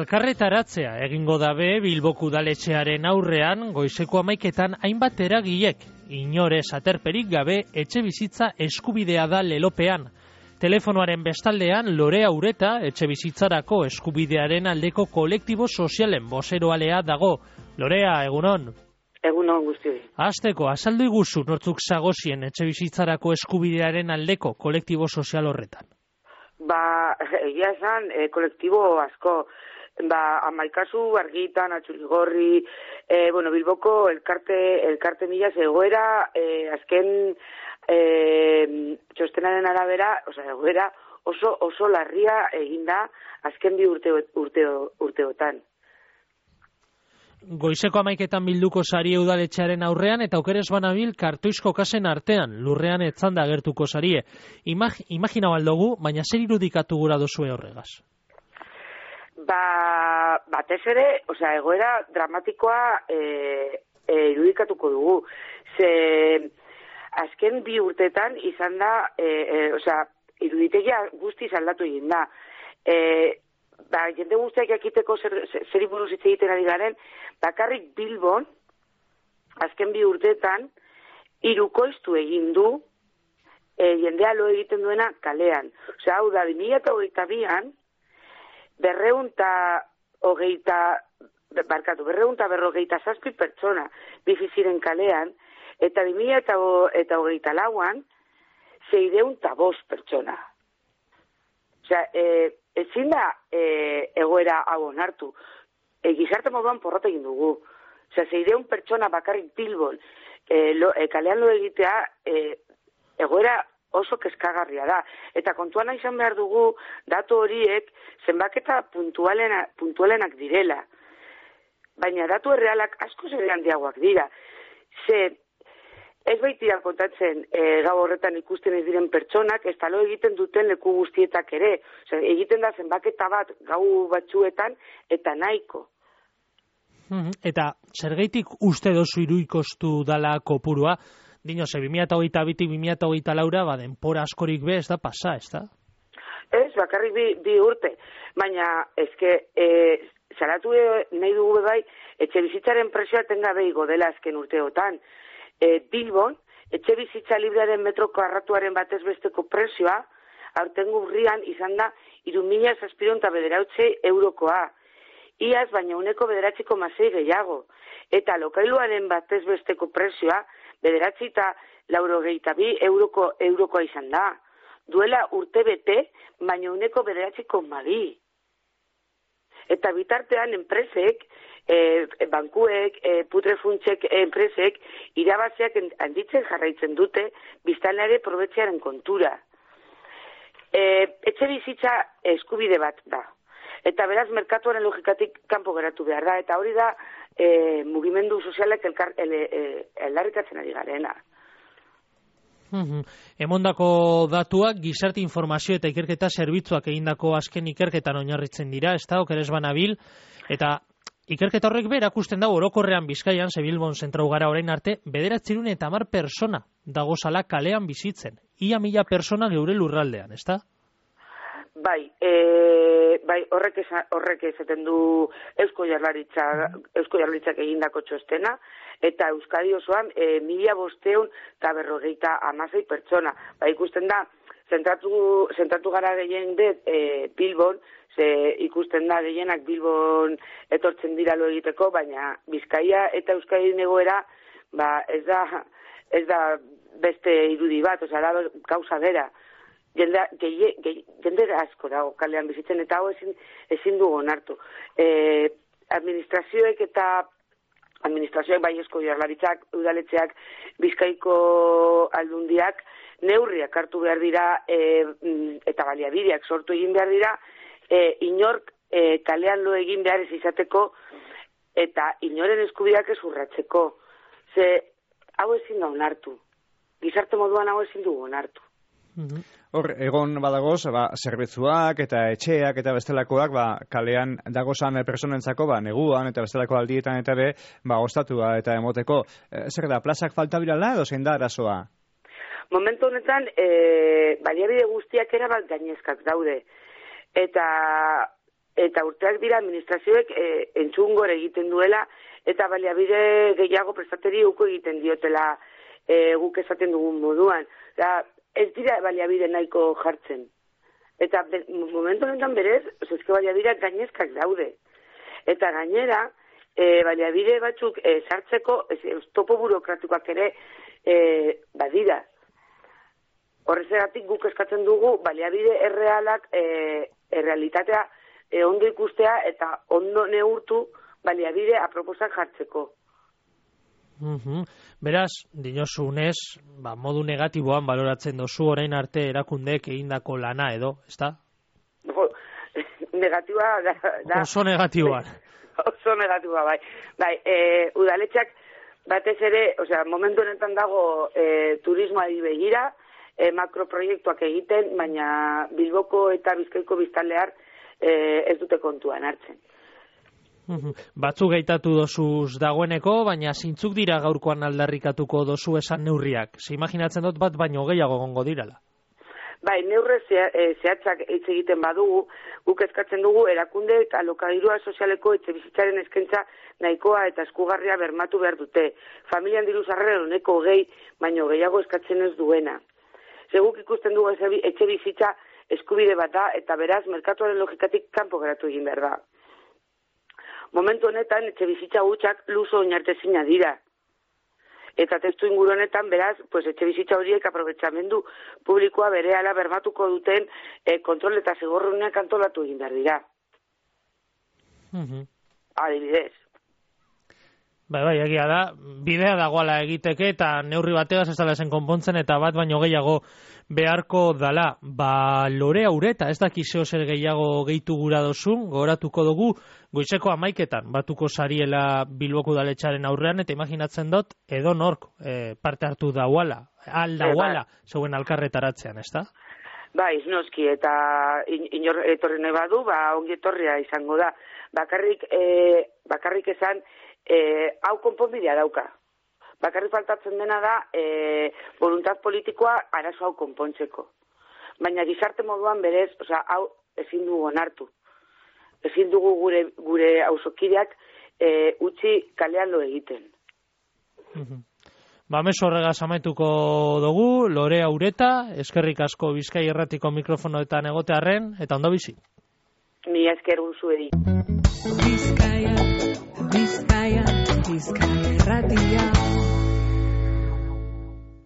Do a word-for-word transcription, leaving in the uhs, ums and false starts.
Elkarretaratzea egingo dabe Bilboko udaletxearen aurrean goizeko hamaiketan hainbat eragilek, inorez aterperik gabe etxe bizitza eskubidea da lelopean. Telefonoaren bestaldean Lorea Ureta etxe bizitzarako eskubidearen aldeko kolektibo sozialen bozeroalea dago. Lorea, egunon? Egunon guztioi. Hasteko, azaldu iguzu nortzuk zagozien etxe bizitzarako eskubidearen aldeko kolektibo sozial horretan? Ba, egia esan, e, kolektibo asko, ba, amaikazu, argitan, atxuligorri, e, bueno, Bilboko elkarte, elkarte mila egoera, e, azken e, txostenaren arabera, oza, egoera oso, oso larria eginda azken bi urte, urte, urteotan. Goizeko hamaiketan bilduko sari udaletxearen aurrean eta okerez banabil kartoizko kasen artean, lurrean etzanda agertuko sarie. Imag, imagina baldogu, baina zer irudikatu gura dozue horregaz? Ba, batez ere, osea, egoera dramatikoa e, e, irudikatuko dugu. Ze, azken bi urtetan izan da, e, e, osea, iruditegia guztiz aldatu egin da. E, ba, jende guztiak jakiteko zer, zer buruz hitz egiten ari garen, bakarrik Bilbon, azken bi urtetan, hirukoiztu egin du, e, jendea lo egiten duena kalean. Osea, hau da, bi mila hogeita bian, berreunta hogeita, barkatu, berreunta berrogeita zazpi pertsona biziziren kalean, eta bi mila eta hogeita lauan, zeireunta bost pertsona. Osea, e, ezin da e, egoera hau onartu. E, gizarte moduan porrot egin dugu. Osea, zeireun pertsona bakarrik Bilbon e, lo, e, kalean lo egitea e, egoera oso kezkagarria da. Eta kontuan izan behar dugu datu horiek zenbaketa puntualena, puntualenak direla. Baina datu errealak asko ere handiagoak dira. Ze ez baitira kontatzen e, gau horretan ikusten ez diren pertsonak, ez talo egiten duten leku guztietak ere. Osea, egiten da zenbaketa bat gau batzuetan eta nahiko. Eta zergaitik uste dozu iruikostu dala kopurua? Dino, ze bi mila hogeita bitik bi mila hogeita laura, ba, denpora askorik be, ez da pasa, ez da? Ez, bakarrik bi, bi urte. Baina, ezke, e, zaratu nahi dugu bai, etxe bizitzaren presioa tengabe igo dela azken urteotan. E, Bilbon, etxe bizitza librearen metroko arratuaren batez besteko presioa, aurten urrian izan da, hiru mila zazpiehun eta bederatzi eurokoa. Iaz, baina uneko bederatziko masei gehiago. Eta lokailuaren batez besteko presioa, bederatzi eta laurogeita bi euroko, eurokoa izan da. Duela urte bete, baina uneko bederatziko mabi. Eta bitartean enpresek, e, bankuek, e, putrefuntsek enpresek, irabaziak handitzen jarraitzen dute, biztanleare probetxearen kontura. E, etxe bizitza eskubide bat da. Eta beraz, merkatuaren logikatik kanpo geratu behar da. Eta hori da, e, mugimendu sozialek eldarrikatzen ari garena. Mm-hmm. Emondako datuak gizarte informazio eta ikerketa zerbitzuak egindako azken ikerketan oinarritzen dira, ez da, okerez banabil, eta ikerketa horrek be erakusten dago orokorrean Bizkaian, ze Bilbon zentrau gara orain arte, bederatzerun eta hamar persona dagozala kalean bizitzen. Ia mila persona geure lurraldean, ez da? Bai, e, bai horrek, eza, horrek ezaten du Eusko Jaurlaritzak, Eusko Jaurlaritzak egindako txostena, eta Euskadi osoan e, mila bosteun eta berrogeita hamasei pertsona. Ba, ikusten da, zentratu, zentratu gara gehien dut e, Bilbon, ze ikusten da gehienak Bilbon etortzen dira lo egiteko, baina Bizkaia eta Euskadi egoera, ba, ez da, ez da beste irudi bat, osea, da gauza bera. Jende, gehi, gehi, jende asko dago kalean bizitzen, eta hau ezin, ezin dugu onartu. E, administrazioek eta administrazioek bai Eusko Jaurlaritzak, udaletxeak, Bizkaiko aldundiak, neurriak hartu behar dira e, eta baliabideak sortu egin behar dira, e, inork e, kalean lo egin behar ez izateko eta inoren eskubideak ez urratzeko. Ze hau ezin da onartu. Gizarte moduan hau ezin dugu onartu. Hor, egon badagoz, ba, zerbitzuak eta etxeak eta bestelakoak, ba, kalean dagozan personentzako, ba, neguan eta bestelako aldietan eta be, ba, ostatua eta emoteko. E, zer da, plazak falta birala edo zein da arazoa? Momentu honetan, e, baliabide guztiak erabat gainezkak daude. Eta eta urteak dira administrazioek e, entzun gore egiten duela, eta baliabide gehiago prestateri uko egiten diotela e, guk esaten dugun moduan. Da, ez dira baliabide nahiko jartzen. Eta be, momentu honetan berez, eske baliabide gainezkak daude. Eta gainera, e, baliabide batzuk e, sartzeko, ez, topo burokratikoak ere e, badira. Horrezegatik guk eskatzen dugu baliabide errealak, e, errealitatea e, ondo ikustea eta ondo neurtu baliabide aproposak jartzeko. Uhum. Beraz, dinosu unez, ba, modu negatiboan baloratzen dozu orain arte erakundeek egindako lana edo, ezta? No, negatiboa da, da, oso negatiboan. Oso negatiboa, bai. Bai, e, udaletxak batez ere, osea, momentu honetan dago e, turismoari begira, e, makroproiektuak egiten, baina Bilboko eta Bizkaiko biztanlear e, ez dute kontuan hartzen. Batzuk gaitatu dozuz dagoeneko, baina zintzuk dira gaurkoan aldarrikatuko dozu esan neurriak. Se imaginatzen dut bat baino gehiago gongo dirala. Bai, neurre zehatzak hitz egiten badugu, guk eskatzen dugu erakunde eta alokairua sozialeko etxe bizitzaren eskaintza nahikoa eta eskugarria bermatu behar dute. Familian diru sarrera honeko gehi, baino gehiago eskatzen ez duena. Seguk ikusten dugu etxe bizitza eskubide bat da eta beraz merkatuaren logikatik kanpo geratu egin behar da. Momentu honetan, etxe bizitza gutxak luzo oinartezina dira. Eta testu inguru honetan, beraz, pues, etxe bizitza horiek aprobetxamendu publikoa berehala bermatuko duten eh, kontrol eta zigorruneak antolatu egin behar dira. Uh-huh. Adibidez. Bai, bai, egia da, bidea dagoala egiteke eta neurri bategaz ez dala zen konpontzen eta bat baino gehiago beharko dala. Ba, Lorea Ureta, ez daki zeo zer gehiago gehitu gura dozun, gogoratuko dugu, goizeko amaiketan batuko sariela Bilboko udaletxaren aurrean, eta imaginatzen dut, edo nork e, parte hartu dauala, al dauala, e, zeuen alkarretaratzean, ez da? Bai, noski, eta in, inor etorri nahi badu, ba, ongi etorria izango da. Bakarrik, e, bakarrik esan, e, hau konponbidea dauka. Bakarrik faltatzen dena da, e, voluntad politikoa arazo hau konpontzeko. Baina gizarte moduan berez, osea, hau ezin dugu onartu. Ezin dugu gure, gure auzokideak e, utzi kalean lo egiten. Mhm. Ba, meso horregaz amaituko dugu, Lorea Ureta, eskerrik asko Bizkai Irratiko mikrofonoetan egotearren, eta ondo bizi. Mi esker guzuedi. Bizkaia, Bizkaia, Bizkaia Irratia.